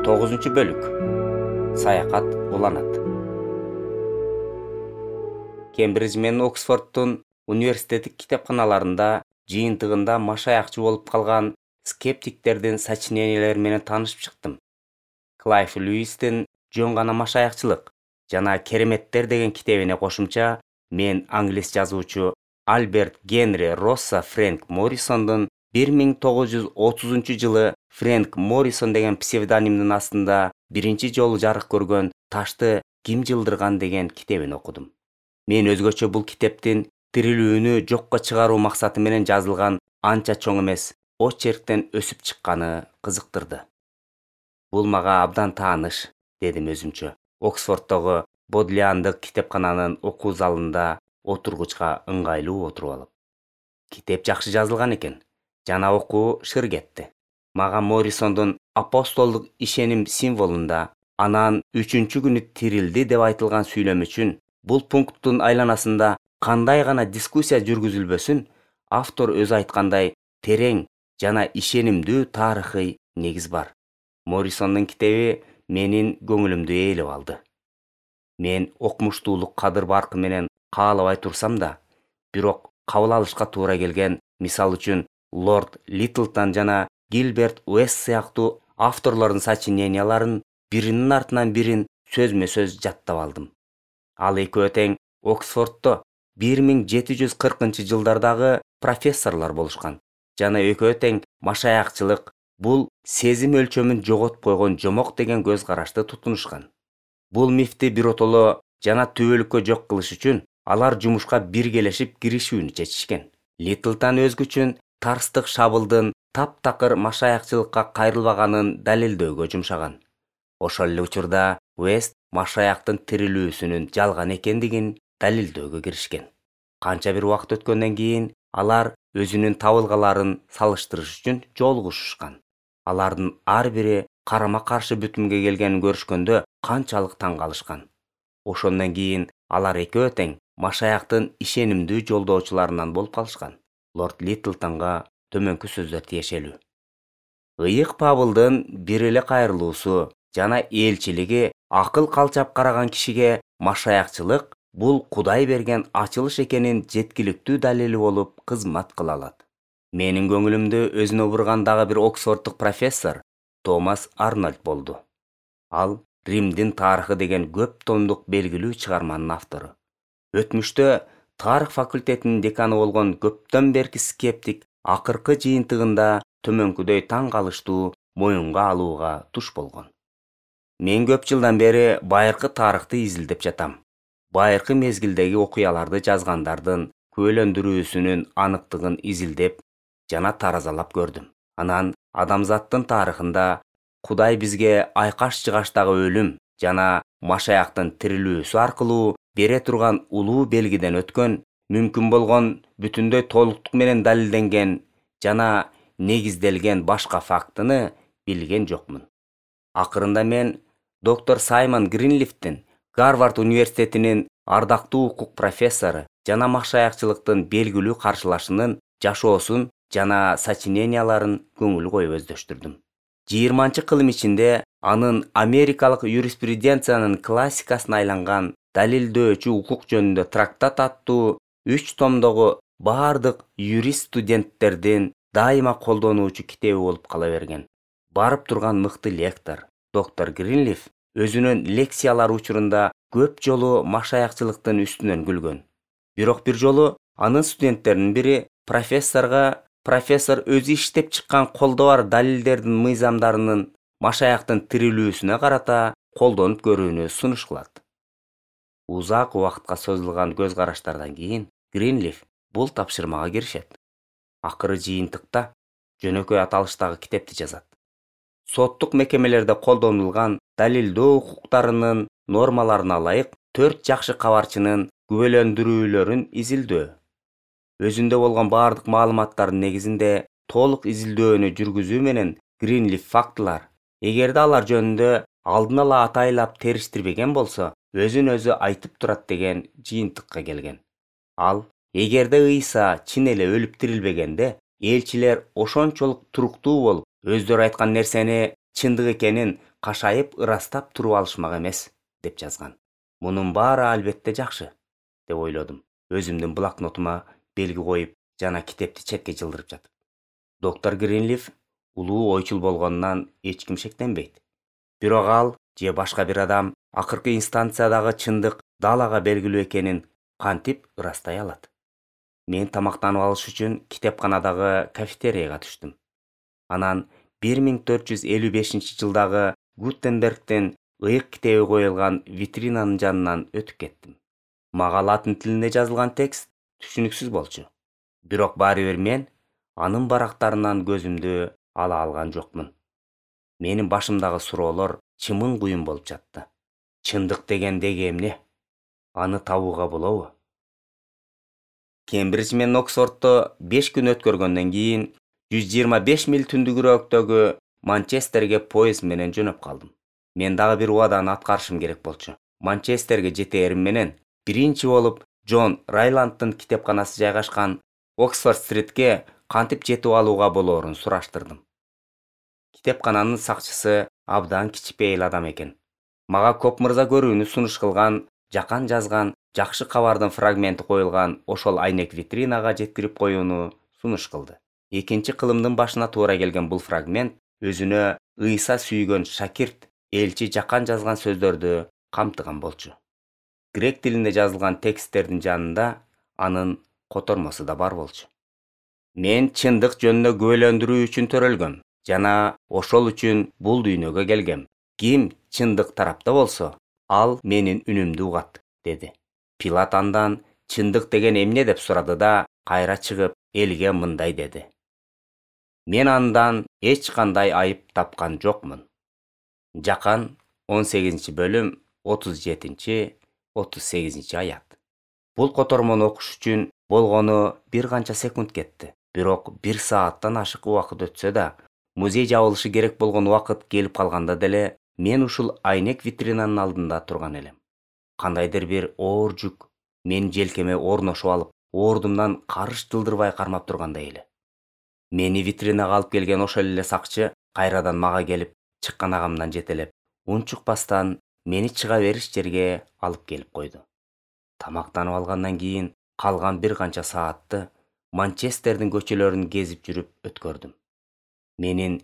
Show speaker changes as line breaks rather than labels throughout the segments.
9-бөлүк. Саякат уланат. Кембридж менен Оксфорддун университеттик китепканаларында жыйынтыгында машаякчы болуп калган скептиктердин сочинениялери менен таанышып чыктым. Клайв Льюистин «Жөн гана машаякчылык» жана «Кереметтер» деген китебине кошумча, мен англис жазуучу Альберт Генри Росса Фрэнк Моррисондун 1930-жылы Фрэнк Моррисон деген псевдонимдин астында биринчи жолу жарык көргөн «Ташты ким жылдырган» деген китебин окудум. Мен өзгөчө бул китептин тирилүүнү жокко чыгаруу максаты менен жазылган анча чоң эмес очерктен өсүп чыкканы кызыктырды. Бул мага абдан тааныш, дедим өзүмчө. Оксфорддогу Бодлиандык китепкананын окуу залында отургучка ыңгайлуу отуруп алып. Китеп жакшы жазылган экен. Жана окуу шыр кетти. Мага Моррисондун апостолдук ишеним символунда анан 3-күнү тирилди деп айтылган сүйлөм үчүн бул пункттун айланасында кандай гана дискуссия жүргүзүлбөсүн, автор өзү айткандай терең жана ишенимдүү тарыхый негиз бар. Моррисондун китеби менин көңүлүмдү ээлеп алды. Мен окумуштуулук кадыр баркы менен каалабай турсам да, бирок кабыл алышка туура келген, мисалы үчүн Лорд Литтлтон жана Гилберт Уэст сыяктуу авторлордун сочиненияларын биринин артынан бирин сөзмө-сөз жаттап алдым. Ал экөө тең Оксфорддо 1740-жылдардагы профессорлор болушкан. Жана экөө тең машаякчылык бул сезим өлчөмүн жоготуп койгон жомок деген көз карашты тутунушкан. Бул мифти биротоло жана түбөлүккө жок кылыш үчүн алар жумушка биргелешип киришүүнү чечишкен. Литтлтон өзгүчүн тарстык шабылдын таптакыр машаякчылыкка кайрылбаганын далилдөөгө жумшаган. Ошол эле учурда Уэст машаяктын тирилүүсүнүн жалган экендигин далилдөөгө киришкен. Канча бир убакыт өткөндөн кийин алар өзүнүн табылгаларын салыштырыш үчүн жолугушушкан. Алардын ар бири карама-каршы бүтүмгө келгенин көрүшкөндө канчалык таң калышкан. Ошондон кийин алар экөө тең машаяктын ишенимдүү жолдоочуларынан болуп калышкан. Лорд Литтлтонго төмөнкү сөздөр тиешелүү. Ыйык Пабылдын бир эле кайрылуусу жана элчилиги акыл калчап караган кишиге машаякчылык бул Кудай берген ачылыш экенин жеткиликтүү далили болуп кызмат кыла алат. Менин көңүлүмдү өзүнө бурган дагы бир Оксфорддук профессор Томас Арнольд болду. Ал Римдин тарыхы деген көп томдук белгилүү чыгарманын автору. Өтмүштө тарых факультетинин деканы болгон көптөн берки скептик акыркы жыйынтыгында төмөнкүдөй таң калыштуу моюнга алууга туш болгон. Мен көп жылдан бери байыркы тарыхты изилдеп жатам. Байыркы мезгилдеги окуяларды жазгандардын күбөлөндүрүүсүнүн аныктыгын изилдеп жана таразалап көрдүм. Анан адамзаттын тарыхында Кудай бизге айкаш-жыгаштагы өлүм жана машаяктын тирилүүсү аркылуу бере турган улуу белгиден өткөн, мүмкүн болгон бүтүндөй толуктук менен далилденген жана негизделген башка фактыны билген жокмун. Акырында мен доктор Саймон Гринлифтин, Гарвард университетинин ардактуу укук профессору жана машаякчылыктын белгилүү каршылашынын жашоосун жана сочиненияларын көңүл коюп өздөштүрдүм. 20-кылым ичинде анын Америкалык юриспруденциянын классикасына айланган далилдөөчү укук жөнүндө трактат аттуу 3 томдогу бардык юрист студенттердин дайыма колдонуучу китеби болуп кала берген. Барып турган мыкты лектор, доктор Гринлиф өзүнүн лекциялары учурунда көп жолу машаякчылыктын үстүнөн күлгөн. Бирок бир жолу анын студенттеринин бири профессор өзү иштеп чыккан колдо бар далилдердин мыйзамдарынын машаяктын тирилүүсүнө карата колдонуп көрүүнү сунуш кылат. Узак убакытка созулган көз караштардан кийин Гринлиф бул тапшырмага киришет. Акыры жыйынтыкта жөнөкөй аталыштагы китепти жазат. Соттук мекемелерде колдонулган далилдөө укуктарынын нормаларына ылайык 4 жакшы кабарчынын күбөлөндүрүүлөрүн изилдөө. Өзүндө болгон бардык маалыматтардын негизинде толук изилдөөнү жүргүзүү менен Гринлиф фактылар, эгерде алар жөнүндө алдын ала атайлап териштирбеген болсо, өзүн өзү айтып турат деген жыйынтыкка келген. Ал, эгерде Ыйса чын эле өлүп тирилбегенде, элчилер ошончолук туруктуу болуп, өздөрү айткан нерсени чындык экенин кашайып ырастап туруп алышмак эмес, деп жазган. Мунун баары албетте жакшы, деп ойлодум. Өзүмдүн блокнотума белги коюп, жана китепти четке жылдырып жатып. Доктор Гринлиф улуу ойчул болгонунан эч ким шектенбейт. Бирок ал же башка бир адам акыркы инстанциядагы чындык далага белгилүү экенин кантип ырастай алат? Мен тамактанып алыш үчүн китепканадагы кафетерияга түштүм. Анан 1455-жылдагы Гутенбергдин ыйык китеби коюлган витринанын жанынан өтүп кеттим. Мага латын тилинде жазылган текст түшүнүксүз болчу. Бирок баары бир мен анын барактарынан көзүмдү ала алган жокмун. Менин башымдагы суроолор чымын куюн болуп жатты. Чындык деген деги эмне? Аны табууга болобу? Кембридж менен Оксфордто 5 күн өткөргөндөн кийин 125 миль түндүгүрөөктөгү Манчестерге поезд менен жөнөп калдым. Мен дагы бир убаданы аткарышым керек болчу. Манчестерге жетээрим менен биринчи болуп Джон Райланддын китепканасы жайгашкан Оксфорд-стритке кантип жетип алууга болоорун сураштырдым. Китепкананын сакчысы абдан кичипейил адам экен. Мага Коп мырза көрүүнү сунуш кылган, жакан жазган жакшы кабардын фрагменти коюлган ошол айнек витринага жеткирип коюуну сунуш кылды. Экинчи кылымдын башына туура келген бул фрагмент өзүнө ыйса сүйгөн шакирт, элчи жакан жазган сөздөрдү камтыган болчу. Грек тилинде жазылган тексттердин жанында анын котормосу да бар болчу. Мен чындык жөнүндө күбөлөндүрүү үчүн төрөлгөм жана ошол үчүн бул дүйнөгө келгем. Ким чындык тарапта болсо, ал менин үнүмдү угат, деди. Пилат андан чындык деген эмне деп сурады да, кайра чыгып элге мындай деди: Мен андан эч кандай айып тапкан жокмун. Жакан 18-бөлүм 37-38 аят. Бул котормону окуш үчүн болгону бир канча секунд кетти. Бирок 1 сааттан ашык убакыт өтсө да, музей жабылышы керек болгон убакыт келип калганда деле мен ушул айнек витринанын алдында турган элем. Кандайдыр бир оор жүк менин желкеме орношуп алып, ордумдан карыш жылдырбай кармап тургандай эле. Мени витринага алып келген ошол эле сакчы кайрадан мага келип, чыкканагамдан жетелеп, унчукпастан мени чыга бериш жерге алып келип койду. Тамактанып алгандан кийин калган бир канча саатты Манчестердин көчөлөрүн кезип жүрүп өткөрдүм. Менин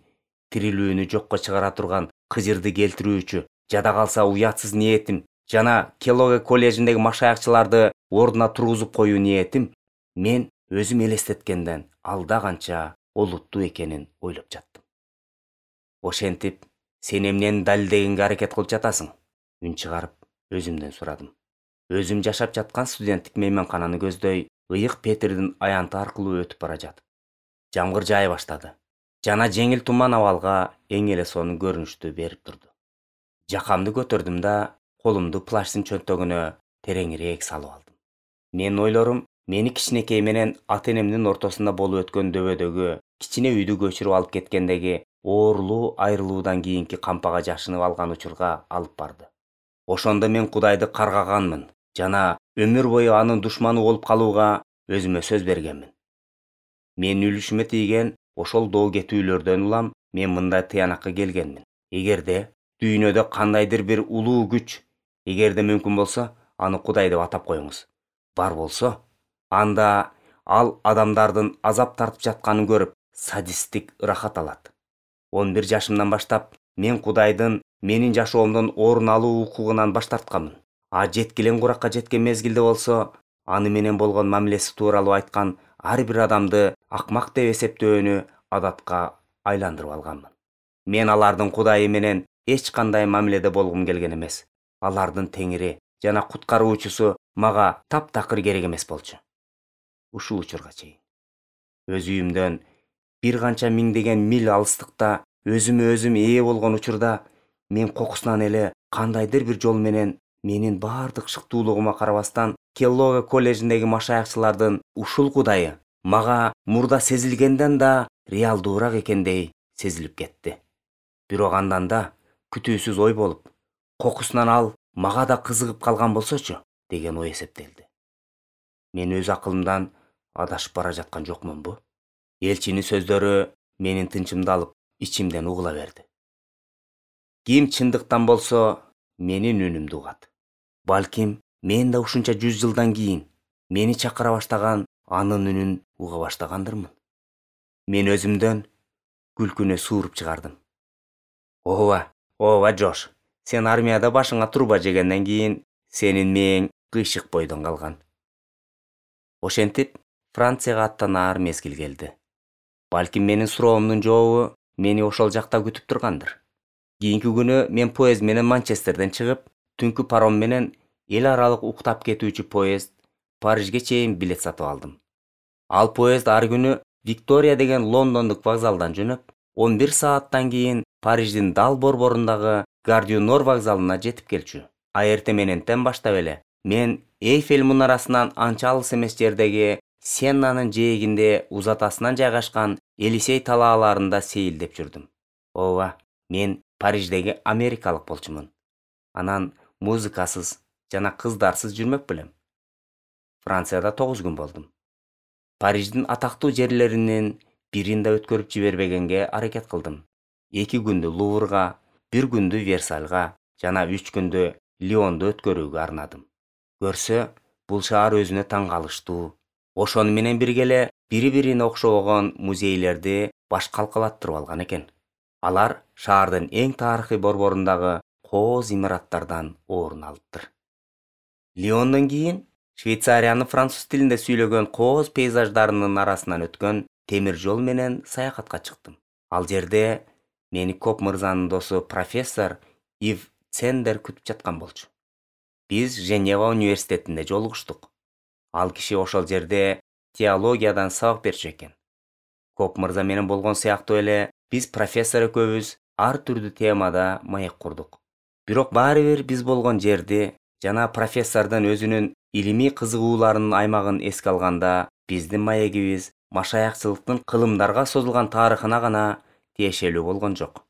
тирилүүнү жокко чыгара турган кыжырды келтирүүчү, жада калса уятсыз ниетим жана Келлогг коллежиндеги машаякчыларды ордуна тургузуп коюу ниетим мен өзүм элестеткенден алда канча олуттуу экенин ойлоп жаттым. Ошентип, сен эмнени далилдегенге аракет кылып жатасың? Үн чыгарып, өзүмдөн сурадым. Өзүм жашап жаткан студенттик мейманкананы көздөй, ыйык Петрдин аянты аркылуу өтүп бара жатып. Жамгыр жаая баштады. Жана жеңил туман абалга эң эле сонун көрүнүштү берип турду. Жакамды көтөрдүм да, колумду плащтын чөнтөгүнө тереңирээк салып алдым. Менин ойлорум мени кичинекей менен ата-энемдин ортосунда болуп өткөн дөбөдөгү кичине үйдү көчүрүп алып кеткендеги оорлуу айрылуудан кийинки кампага жашынып алган учурга алып барды. Ошондо мен Кудайды каргаганмын жана өмүр бою анын душманы болуп калууга өзүмө сөз бергенмин. Менин үлүшүмө тийген ошол доо кетүүлөрдөн улам мен мындай тыянакка келгенмин. Эгерде дүйнөдө кандайдыр бир улуу күч, эгерде мүмкүн болсо, аны Кудай деп атап коюңуз, бар болсо, анда ал адамдардын азап тартып жатканын көрүп, садисттик ырахат алат. 11 жашымдан баштап мен Кудайдын менин жашоомдон орун алуу укугунан баш тартканмын. А жеткилең куракка жеткен мезгилде болсо, аны менен болгон мамилеси тууралуу айткан ар бир адамды акмак деп эсептөөнү адатка айландырып алганмын. Мен алардын Кудайы менен эч кандай мамиледе болгум келген эмес. Алардын теңири жана куткаруучусу мага таптакыр керек эмес болчу. Ушул учурга чейин. Өз үйүмдөн бир канча миңдеген миль алыстыкта өзүмө өзүм ээ болгон учурда мен кокусунан эле кандайдыр бир жол менен менин баардык шыктуулугума карабастан Келлогг коллежиндеги машаякчылардын ушул Кудайы мага мурда сезилгенден да реалдуураак экендей сезилип кетти. Бирок андан да күтүүсүз ой болуп, кокусунан ал мага да кызыгып калган болсочу деген ой эсептелди. Мен өз акылымдан адашып бара жаткан жокмунбу? Элчинин сөздөрү менин тынчымды алып, ичимден угула берди. Ким чындыктан болсо менин үнүмдү угат. Балким мен да ушунча 100 жылдан кийин мени чакыра баштаган анын үнүн уга баштагандырмын. Мен өзүмдөн күлкүнө сууруп чыгардым. Ооба Джош, сен армияда башыңа труба жегенден кийин сенин мээң кыйшык бойдон калган. Ошентип Францияга аттанаар мезгил келди. Балким менин суроомдун жообу мени ошол жакта күтүп тургандыр. Кийинки күнү мен поезд менен Манчестерден чыгып, түнкү паром менен эл аралык уктап кетүүчү поезд Парижге чейин билет сатып алдым. Ал поезд ар күнү Виктория деген лондондук вокзалдан жөнөп, 11 сааттан кийин Париждин дал борборундагы Гар дю Нор вокзалына жетип келчү. А эртең мененден баштап эле мен Эйфель мунарасынан анча алыс эмес жердеги Сеннанын жээгинде узатасынан жайгашкан Елисей талааларында сейилдеп жүрдүм. Ооба, мен Париждеги америкалык болчумун. Анан музыкасыз жана кыздарсыз жүрмөк белем. Францияда 9 күн болдум. Париждин атактуу жерлеринин бирин да өткөрүп жибербегенге аракет кылдым. 2 күндү Луврга, 1 күндү Версальга жана 3 күндү Лионду өткөрүүгө арнадым. Көрсө, бул шаар өзүнө таң калыштуу. Ошону менен бирге эле бири-бирине окшобогон музейлерди баш калкалаттырып алган экен. Алар шаардын эң тарыхый борборундагы кооз имараттардан орун алыптыр. Лиондон кийин Швейцариянын француз тилинде сүйлөгөн кооз пейзаждарынын арасынан өткөн темир жол менен саякатка чыктым. Ал жерде мени Коп мырзанын досу профессор Ив Цендер күтүп жаткан болчу. Биз Женева университетинде жолугуштук. Ал киши ошол жерде теологиядан сабак берчү экен. Коп мырза менен болгон сыяктуу эле биз профессор экөөбүз ар түрдүү темада маек курдук. Бирок баары бир биз болгон жерди жана профессордун өзүнүн илимий кызыгууларынын аймагын эске алганда биздин маегибиз машаякчылыктын кылымдарга созулган тарыхына гана тиешелүү болгон жок.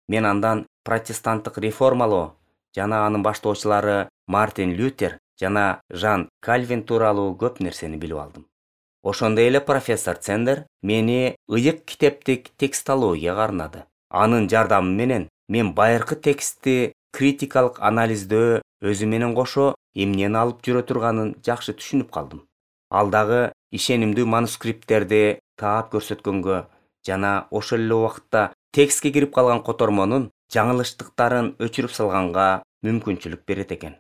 Мен андан протестанттык реформалоо жана анын баштоочулары Мартин Лютер жана Жан Кальвин тууралуу көп нерсени билип алдым. Ошондой эле профессор Цендер мени ыйык китептик текстологияга арнады. Анын жардамы менен мен байыркы текстти критикалык анализдөө өзү менен кошо эмнени алып жүрө турганын жакшы түшүнүп калдым. Ал дагы ишенимдүү манускрипттерди таап көрсөткөнгө жана ошол эле убакытта текстке кирип калган котормонун жаңылыштыктарын өчүрүп салганга мүмкүнчүлүк берет экен.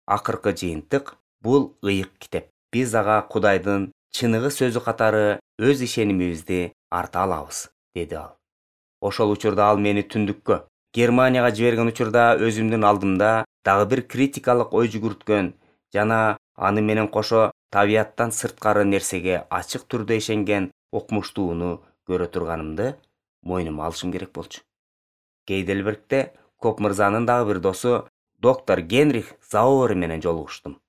Акыркы жыйынтык бул ыйык китеп. Биз ага Кудайдын чыныгы сөзү катары өз ишенимибизди арта алабыз, деди ал. Ошол учурда ал мени түндүккө, Германияга жиберген учурда өзүмдүн алдымда дагы бир критикалык ой жүгүрткөн жана аны менен кошо табияттан сырткары нерсеге ачык түрдө ишенген окумуштууну көрө турганымды мойнума алышым керек болчу. Гейдельбергде Коп мырзанын дагы бир досу доктор Генрих Зауэр менен жолугуштум.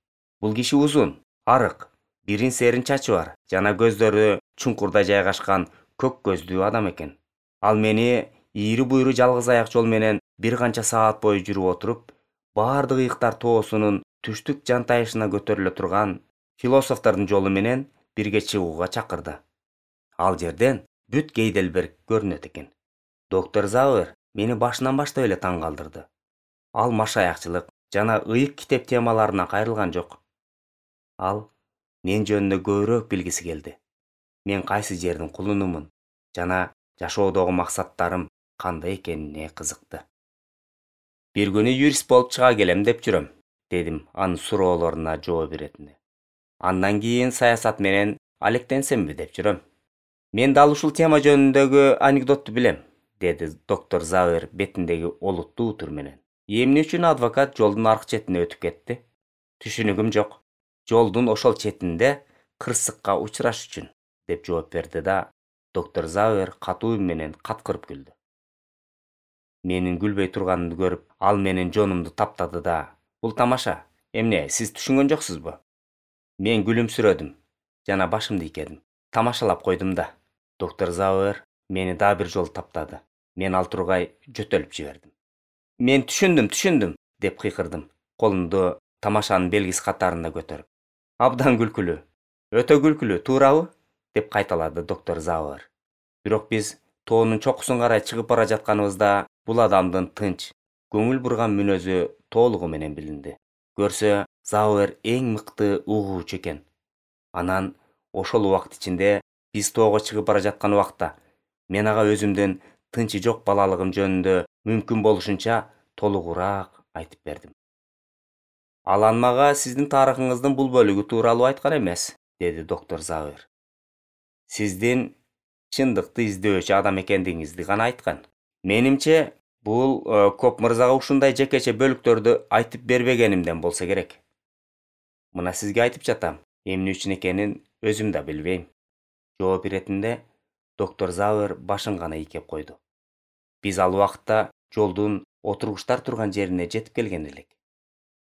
Бул киши узун, арык, бирин серин чачы бар жана көздөрү чуңкурда жайгашкан көк көздүү адам экен. Ал мени ийри буйру жалгыз аяк жол менен бир канча саат бою жүрүп отуруп, баардык ыйыктар тоосунун түштүк жантайышына көтөрүлө турган философтордун жолу менен бирге чыгууга чакырды. Ал жерден бүт Гейдельберг көрүнөт экен. Доктор Зауэр мени башынан баштап эле таң калтырды. Ал машаякчылык жана ыйык китеп темаларына кайрылган жок. Ал мен жөнүндө көбүрөөк билгиси келди. Мен кайсы жердин кулунумун жана жашоодогу максаттарым кандай экенине кызыкты. Бир күнү юрист болуп чыга келем деп жүрөм, дедим анын суроолоруна жооп беретинде. Андан кийин саясат менен алектенсемби деп жүрөм. Мен дал ушул тема жөнүндөгү анекдотту билем, деди доктор Зауэр бетиндеги олуттуу утур менен. Эмне үчүн адвокат жолдун аркы четине өтүп кетти? Түшүнүгүм жок. Жолдун ошол четинде кырсыкка учураш үчүн, деп жооп берди да, доктор Зауэр катуу үн менен каткырып күлдү. Менин күлбөй турганымды көрүп, ал менин жонумду таптады да, бул тамаша. Эмне, сиз түшүнгөн жоксузбу? Мен күлүмсүрөдүм жана башымды ийкедим. Тамашалап койдум да. Доктор Зауэр мени дагы бир жолу таптады. Мен ал тургай жөтөлүп жибердим. Мен түшүндүм, деп кыйкырдым, колумду тамашанын белгиси катарында көтөрүп. Абдан күлкүлүү. Өтө күлкүлүү, туурабы? Деп кайталады доктор Зауэр. Бирок биз тоонун чокусун карай чыгып бара жатканыбызда бул адамдын тынч, көңүл бурган мүнөзү толугу менен билинди. Көрсө, Зауэр эң мыкты угуучу экен. Анан ошол убакыт ичинде биз тоого чыгып бара жаткан убакта мен ага өзүмдүн тынчы жок балалыгым жөнүндө мүмкүн болушунча толугураак айтып бердим. Алан мага сиздин тарыхыңыздын бул бөлүгү тууралуу айткан эмес, деди доктор Зауэр. Сиздин чындыкты издөөчү адам экендигиңизди гана айткан. Менимче, бул Коп мырзага ушундай жекече бөлүктөрдү айтып бербегенимден болсо керек. Мына сизге айтып жатам, эмне үчүн экенин өзүм да билбейм. Жооп иретинде доктор Зауэр башын гана ийкеп койду. Биз ал убакытта жолдун отургучтар турган жерине жетип келген элек.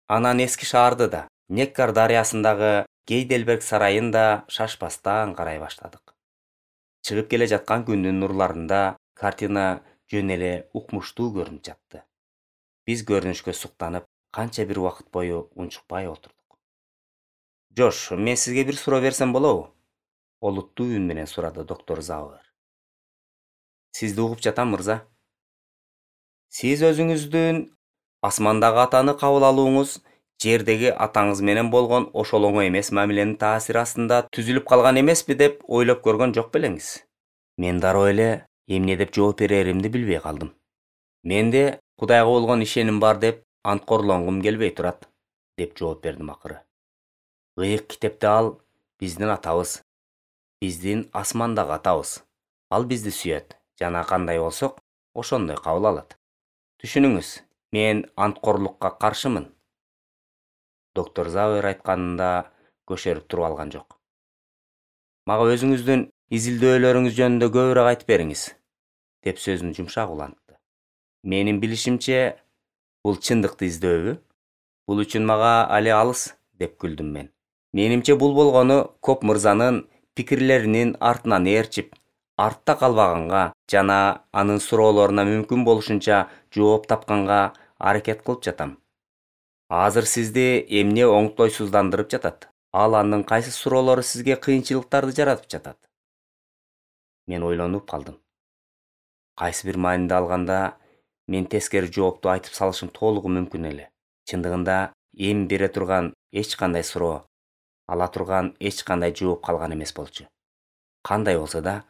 Анан эски шаарды да, Неккар дарыясындагы Гейдельберг сарайын да шашпастан карай баштадык. Чыгып келе жаткан күндүн нурларында картина жөн эле укмуштуу көрүнүп жатты. Биз көрүнүшкө суктанып, канча бир убакыт бою унчукпай отурдук. Жош, мен сизге бир суроо берсем болобу? Олуттуу үн менен сурады доктор Зауэр. Сизди угуп жатам, мырза. Сиз өзүңүздүн асмандагы атаны кабыл алууңуз жердеги атаңыз менен болгон ошол оңой эмес мамиленин таасири астында түзүлүп калган эмеспи деп ойлоп көргөн жок белеңиз? Мен дароо эле эмне деп жооп береримди билбей калдым. Менде Кудайга болгон ишеним бар деп анткорлонгум келбей турат, деп жооп бердим акыры. Ыйык китепте ал биздин атабыз, биздин асмандагы атабыз. Ал бизди сүйөт жана кандай болсок, ошондой кабыл алат. Түшүнүңүз, мен анткорлукка каршымын. Доктор Зауэр айтканында көшөрүп туруп алган жок. Мага өзүңүздүн изилдөөлөрүңүз жөнүндө көбүрөөк айтып бериңиз, деп сөзүн жумшак улантты. Менин билишимче, бул чындыкты издөөбү? Бул үчүн мага али алыс, деп күлдүм мен. Менимче бул болгону Коп мырзанын пикирлеринин артынан ээрчип, артта калбаганга жана анын суроолоруна мүмкүн болушунча жооп тапканга аракет кылып жатам. Азыр сизди эмне оңтойсуздандырып жатат? Ал анын кайсы суроолору сизге кыйынчылыктарды жаратып жатат? Мен ойлонуп калдым. Кайсы бир маанинде алганда, мен тескери жоопту айтып салышым толугу мүмкүн эле. Чындыгында эми бере турган эч кандай суроо, ала турган эч кандай жооп калган эмес болчу. Кандай болсо да,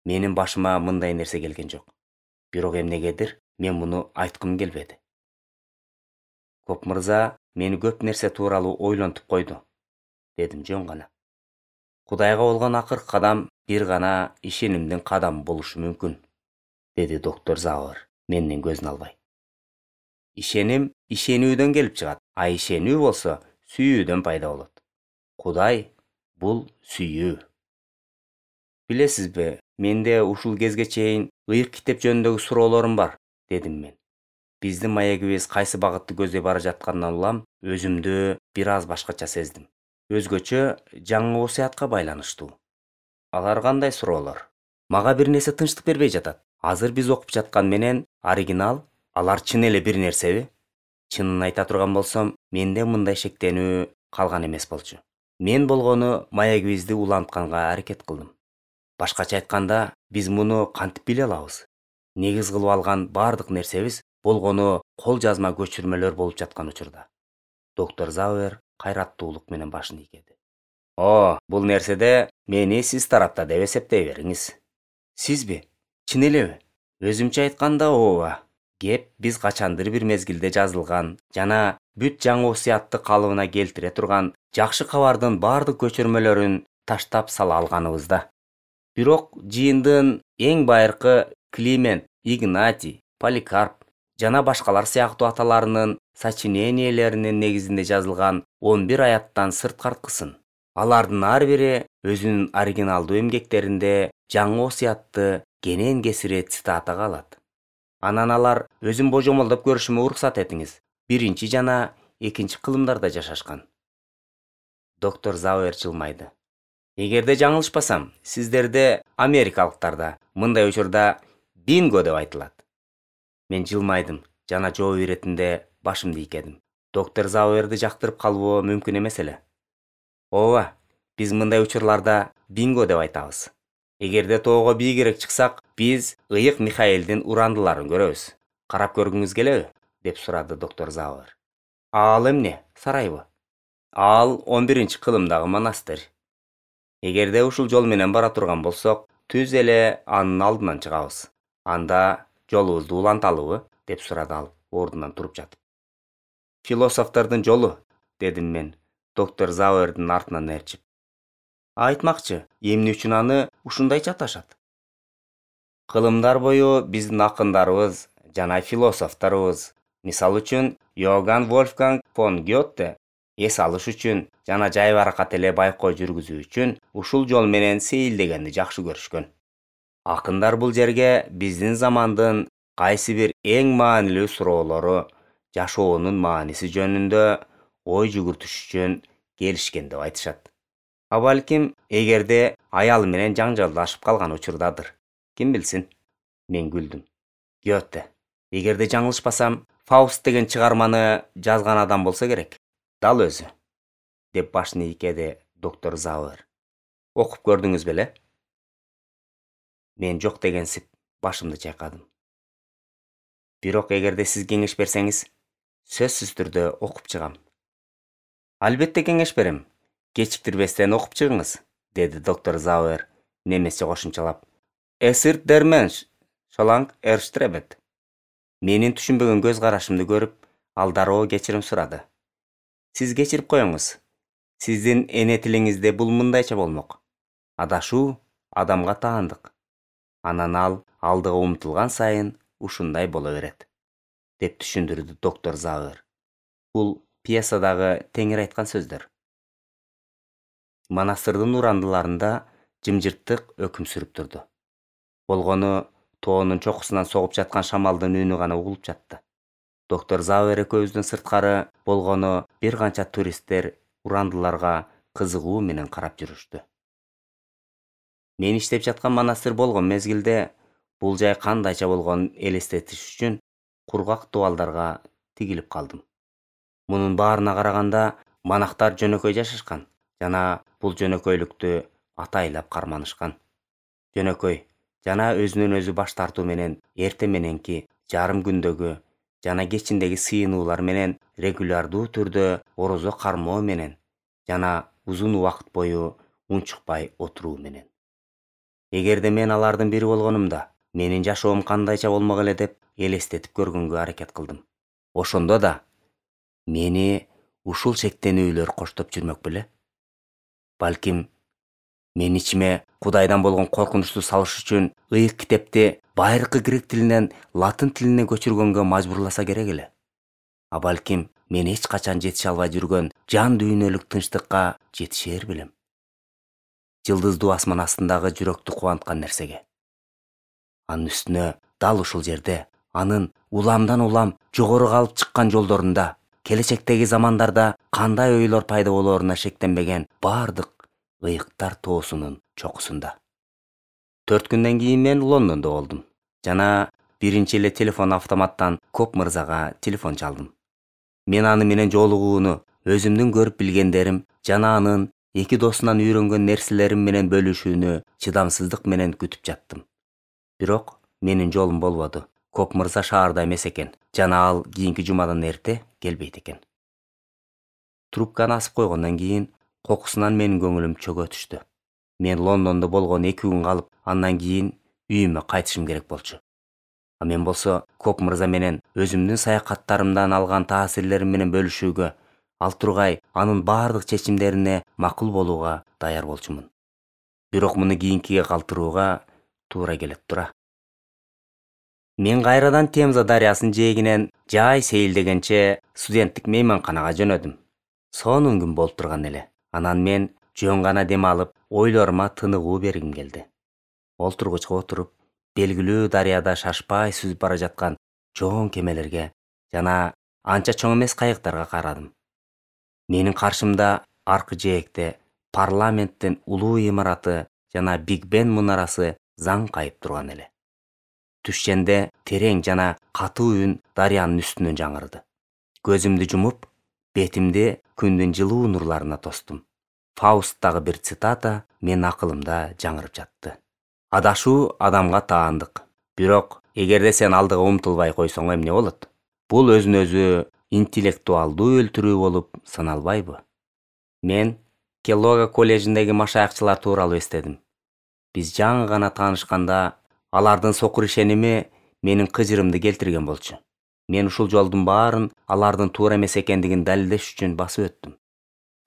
менин башыма мындай нерсе келген жок. Бирок эмнегедир мен муну айткым келбеди. Коп мырза мени көп нерсе тууралуу ойлонтуп койду, дедим жөн гана. Кудайга болгон акыркы кадам бир гана ишенимдин кадамы болушу мүмкүн, деди доктор Зауэр менден көзүн албай. Ишеним ишенүүдөн келип чыгат, а ишенүү болсо сүйүүдөн пайда болот. Кудай бул сүйүү. Билесизби, менде ушул кезге чейин ыйык китеп жөнүндөгү суроолорум бар, дедим мен. Биздин маегибиз кайсы багытты көздөй бара жатканынан улам өзүмдү бир аз башкача сездим. Өзгөчө жаңы осуятка байланыштуу. Алар кандай суроолор? Мага бир нерсе тынчтык бербей жатат. Азыр биз окуп жаткан менен оригинал, алар чын эле бир нерсеби? Чынын айта турган болсом, менде мындай шектенүү калган эмес болчу. Мен болгону маегибизди улантканга аракет кылдым. Башкача айтканда, биз муну кантип биле алабыз? Негиз кылып алган бардык нерсебиз болгону кол жазма көчүрмөлөр болуп жаткан учурда. Доктор Зауэр кайраттуулук менен башын ийкеди. Бул нерседе мени сиз тарапта деп эсептей бериңиз. Сизби? Чын элеби? Өзүмчө айтканда ооба. Кеп биз качандыр бир мезгилде жазылган жана бүт жаңы осуятты калыбына келтире турган жакшы кабардын бардык көчүрмөлөрүн таштап сала алганыбызда. Бирок жыйындын эң байыркы Климент, Игнатий, Поликарп жана башкалар сыяктуу аталарынын сочинениелеринин негизинде жазылган 11 аяттан сырткарткысын. Алардын ар бири өзүнүн оригиналдуу эмгектеринде жаңы осуятты кенен кесири цитатага алат. Анан алар өзүм божомолдоп көрүшүмө уруксат этиңиз. 1 жана 2 кылымдарда жашашкан. Доктор Зауэр жылмайды. Эгерде жаңылышпасам, сиздерде америкалыктарда мындай учурда бинго деп айтылат. Мен жылмайдым жана жооп иретинде башымды ийкедим. Доктор Зауэрди жактырып калуу мүмкүн эмес эле. Ооба, биз мындай учурларда бинго деп айтабыз. Эгерде тоого бийигирээк чыксак, биз ыйык Михаилдин урандыларын көрөбүз. Карап көргүңүз келеби? Деп сурады доктор Зауэр. Ал эмне, сарайбы? Ал 11-кылымдагы монастырь. Эгерде ушул жол менен бара турган болсок, түз эле анын алдынан чыгабыз. Анда жолубузду уланталыбы? Деп сурады ал ордунан туруп жатып. Философтордун жолу, дедим мен, доктор Зауэрдин артынан ээрчип. Айтмакчы, эмне үчүн аны ушундайча аташат? Кылымдар бою биздин акындарыбыз жана философторубуз, мисалы үчүн Йоганн Вольфганг фон Гёте, эс алыш үчүн жана жайбаракат эле байкоо жүргүзүү үчүн ушул жол менен сейилдегенди жакшы көрүшкөн. Акындар бул жерге биздин замандын кайсы бир эң маанилүү суроолору, жашоонун мааниси жөнүндө ой жүгүртүш үчүн келишкен деп айтышат. А балким, эгерде аялы менен жаңжалдашып калган учурдадыр. Ким билсин? Мен күлдүм. Гёте, эгерде жаңылышпасам, Фауст деген чыгарманы жазган адам болсо керек. Дал өзү, деп башын ийкеди доктор Зауэр. Окуп көрдүңүз беле? Мен жок дегенсип башымды чайкадым. Бирок эгерде сиз кеңеш берсеңиз, сөзсүз түрдө окуп чыгам. Албетте кеңеш берем. Кечиктирбестен окуп чыгыңыз, деди доктор Зауэр немисче кошумчалап. Эсирт дерменш, шоланг эрштребет. Менин түшүнбөгөн көз карашымды көрүп, ал дароо кечирим сурады. Сиз кечирип коюңуз. Сиздин эне тилиңизде бул мындайча болмок. Адашуу адамга таандык. Анан ал алдыга умтулган сайын ушундай боло берет, деп түшүндүрдү доктор Зауэр. Бул пьесадагы теңир айткан сөздөр. Монастырдын урандыларында жымжырттык өкүм сүрүп турду. Болгону тоонун чокусунан согуп жаткан шамалдын үнү гана угулуп жатты. Доктор Зауэр экөөбүздөн сырткары болгону бир канча туристтер урандыларга кызыгуу менен карап жүрүштү. Мен иштеп жаткан монастырь болгон мезгилде бул жай кандайча болгонун элестетиш үчүн кургак дубалдарга тигилип калдым. Мунун баарына караганда монахтар жөнөкөй жашашкан жана бул жөнөкөйлүктү атайлап карманышкан. Жөнөкөй жана өзүнөн өзү баш тартуу менен эрте мененки, жарым күндөгү жана кечиндеги сыйынуулар менен регулярдуу түрдө орозо кармоо менен жана узун убакыт бою унчукпай отуруу менен. Эгерде мен алардын бири болгонумда, менин жашоом кандайча болмок эле деп элестетип көргөнгө аракет кылдым. Ошондо да мени ушул шектенүүлөр коштоп жүрмөк беле? Балким, мен ичиме Кудайдан болгон коркунучту салыш үчүн ыйык китепти байыркы грек тилинен латын тилине көчүргөнгө мажбурласа керек эле. А балким, мен эч качан жетише албай жүргөн жан дүйнөлүк тынчтыкка жетишер билем. Жылдыздуу асман астындагы жүрөктү кубанткан нерсеге. Анын үстүнө дал ушул жерде, анын уламдан улам жогору алып чыккан жолдорунда, келечектеги замандарда кандай ойлор пайда болооруна шектенбеген бардык ыйыктар тоосунун чокусунда. 4 күндөн кийин мен Лондондо болдум. Жана биринчи эле телефон автоматтан Коп мырзага телефон чалдым. Мен аны менен жолугууну, өзүмдүн көрүп билгендерим жана анын эки досунан үйрөнгөн нерселерим менен бөлүшүүнү чыдамсыздык менен күтүп жаттым. Бирок менин жолум болбоду. Коп мырза шаарда эмес экен жана ал кийинки жумадан эрте келбейт экен. Трубканы асып койгондон кийин кокусунан менин көңүлүм чөгө түштү. Мен Лондондо болгон 2 күн калып, андан кийин үйүмө кайтышым керек болчу. А мен болсо Коп мырза менен өзүмдүн саякаттарымдан алган таасирлерим менен бөлүшүүгө, ал тургай анын бардык чечимдерине макул болууга даяр болчумун. Бирок муну кийинкиге калтырууга туура келет тура. Мен кайрадан Темза дарыясынын жээгинен жай сейилдегенче студенттик мейманканага жөнөдүм. Сонун күн болуп турган эле. Анан мен жөн гана дем алып, ойлорума тыныгуу бергим келди. Олтургучка отуруп, белгилүү дарыяда шашпай сүзүп бара жаткан чоң кемелерге жана анча чоң эмес кайыктарга карадым. Менин каршымда аркы жээкте парламенттин улуу имараты жана Биг Бен мунарасы заң кайып турган эле. Түшченде терең жана катуу үн дарыянын үстүнөн жаңырды. Көзүмдү жумуп, бетимди күндүн жылуу нурларына тостум. Фаусттагы бир цитата менин акылымда жаңырып жатты. Адашуу адамга таандык, бирок эгерде сен алдыга умтулбай койсоң эмне болот? Бул өзүн өзү интеллектуалдуу өлтүрүү болуп саналбайбы? Мен Келлога коллежиндеги машаякчылар тууралуу эстедим. Биз жаңы гана таанышканда алардын сокур ишеними менин кыжырымды келтирген болчу. Мен ушул жолдун баарын алардын туура эмес экендигин далилдеш үчүн басып өттүм.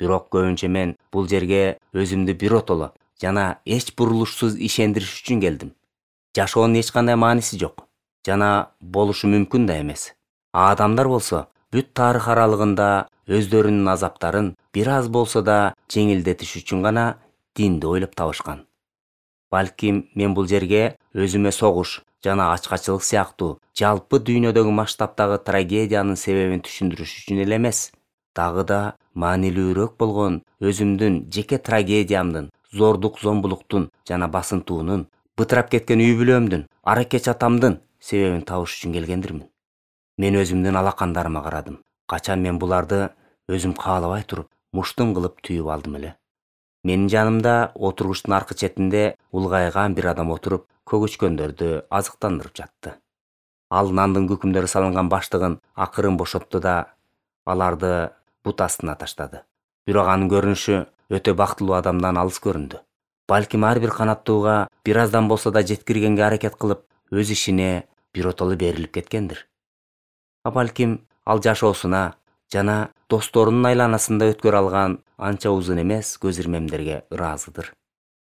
Бирок көбүнчө мен бул жерге өзүмдү биротоло жана эч бурулушсуз ишендириш үчүн келдим. Жашоонун эч кандай мааниси жок жана болушу мүмкүн да эмес. Адамдар болсо бүт тарых аралыгында өздөрүнүн азаптарын бир аз болсо да жеңилдетиш үчүн гана динди ойлоп табышкан. Балким мен бул жерге өзүмө согуш жана ачкачылык сыяктуу жалпы дүйнөдөгү масштабтагы трагедиянын себебин түшүндүрүш үчүн эле эмес, дагы да маанилүүрөөк болгон өзүмдүн жеке трагедиямдын, зордук зомбулуктун жана басынтуунун, бытырап кеткен үй бүлөмдүн, аракеч атамдын себебин табыш үчүн келгендирмин. Мен өзүмдүн алакандарыма карадым. Качан мен буларды өзүм каалабай туруп, муштум кылып түйүп алдым эле. Менин жанымда отургучтун аркы четинде улгайган бир адам отуруп, көгүчкөндөрдү азыктандырып жатты. Ал нандын күкүмдөрү салынган баштыгын акырын бошотту да аларды бут астына таштады. Бирок анын көрүнүшү өтө бактылуу адамдан алыс көрүндү. Балким ар бир канаттууга бир аздан болсо да жеткиргенге аракет кылып, өз ишине биротоло берилип кеткендир. А балким ал жашоосуна жана досторунун айланасында өткөрө алган анча узун эмес көз ирмемдерге ыраазыдыр.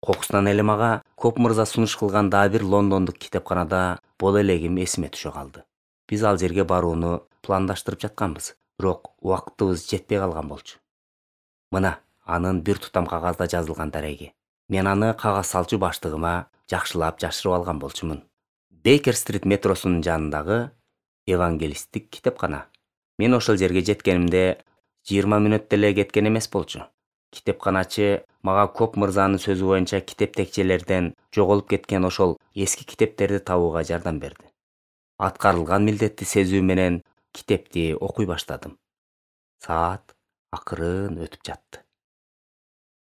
Кокусунан эле мага Коп мырза сунуш кылган дагы бир лондондук китепканада боло элегим эсиме түшө калды. Биз ал жерге барууну пландаштырып жатканбыз, бирок убактыбыз жетпей калган болчу. Мына, анын бир тутам кагазда жазылган дареги. Мен аны кагаз салчу баштыгыма жакшылап жашырып алган болчумун. Бейкер-стрит метросунун жанындагы евангелисттик китепкана. Мен ошол жерге жеткенимде 20 мүнөт деле кеткен эмес болчу. Китепканачы мага Коп мырзанын сөзү боюнча китеп текчелерден жоголуп кеткен ошол эски китептерди табууга жардам берди. Аткарылган милдетти сезүү менен китепти окуй баштадым. Саат акырын өтүп жатты.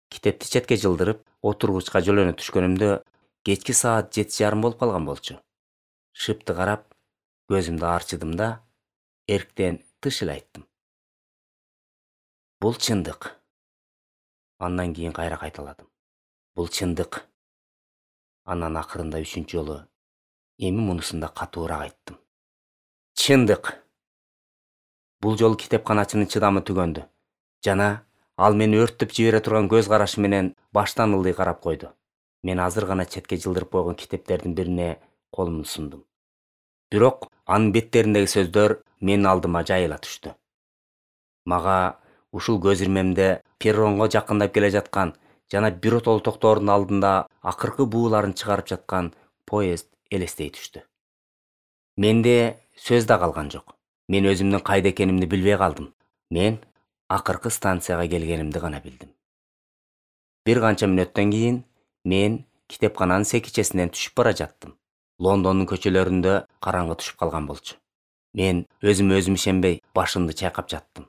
Китепти четке жылдырып, отургучка жөлөнө түшкөнүмдө кечки саат 7:30 болуп калган болчу. Шыпты карап, көзүмдү арчыдым да эрктен тыш эле айттым. Бул чындык. Андан кийин кайра кайталадым. Бул чындык. Анан акырында 3-чү жолу эми мунусун да катуураак айттым. Чындык. Бул жолу китепканачынын чыдамы түгөндү жана ал мени өрттөп жибере турган көз карашы менен баштан ылдый карап койду. Мен азыр гана четке жылдырып койгон китептердин бирине колумду сундум. Бирок анын беттериндеги сөздөр менин алдыма жайыла түштү. Мага ушул көз ирмемде перронго жакындап келе жаткан жана биротоло токтордун алдында акыркы бууларын чыгарып жаткан поезд элестей түштү. Менде сөз да калган жок. Мен өзүмдүн кайда экенимди билбей калдым. Мен акыркы станцияга келгенимди гана билдим. Бир канча мүнөттөн кийин мен китепкананын секичесинен түшүп бара жаттым. Лондондун көчөлөрүндө караңгы түшүп калган болчу. Мен өзүм ишенбей башымды чайкап жаттым.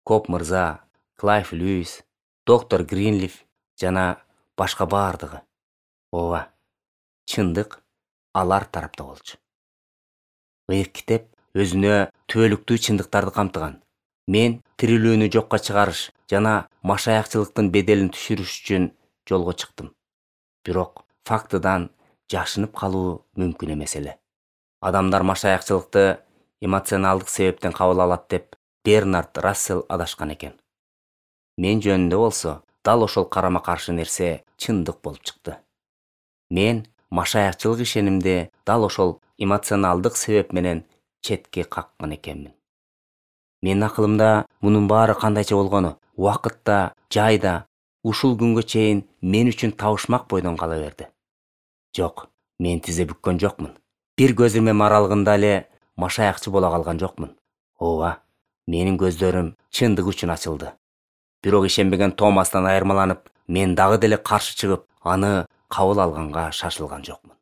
Коп мырза, Клайв Льюис, доктор Гринлиф жана башка бардыгы. Ооба, чындык алар тарапта болчу. Ыйык китеп өзүнө түбөлүктүү чындыктарды камтыган. Мен тирүүлүүнү жокко чыгарыш жана машаякчылыктын беделин түшүрүш үчүн жолго чыктым. Бирок фактыдан жашынып калуу мүмкүн эмес эле. Адамдар машаякчылыкты эмоционалдык себептен кабыл алат деп Бернард Рассел адашкан экен. Мен жөнүндө болсо дал ошол карама-каршы нерсе чындык болуп чыкты. Мен машаякчылык ишенимди дал ошол эмоционалдык себеп менен четке каккан экенмин. Менин акылымда мунун баары кандайча болгону убакытта, жайда, ушул күнгө чейин мен үчүн табышмак бойдон кала берди. Жок, мен тизе бүккөн жокмун. Бир көз ирмем аралыгында эле машаякчы боло калган жокмун. Ооба, менин көздөрүм чындык үчүн ачылды. Бирок ишенбеген Томастан айырмаланып, мен дагы деле каршы чыгып, аны кабыл алганга шашылган жокмун.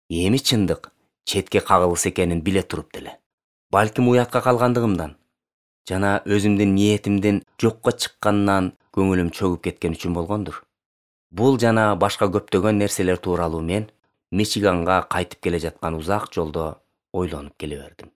Эми чындык четке кагылыс экенин биле туруп деле. Балким уятка калгандыгымдан жана өзүмдүн ниетимдин жокко чыкканынан көңүлүм чөгүп кеткен үчүн болгондур. Бул жана башка көптөгөн нерселер тууралуу мен Мичиганга кайтып келе жаткан узак жолдо ойлонуп келе бердим.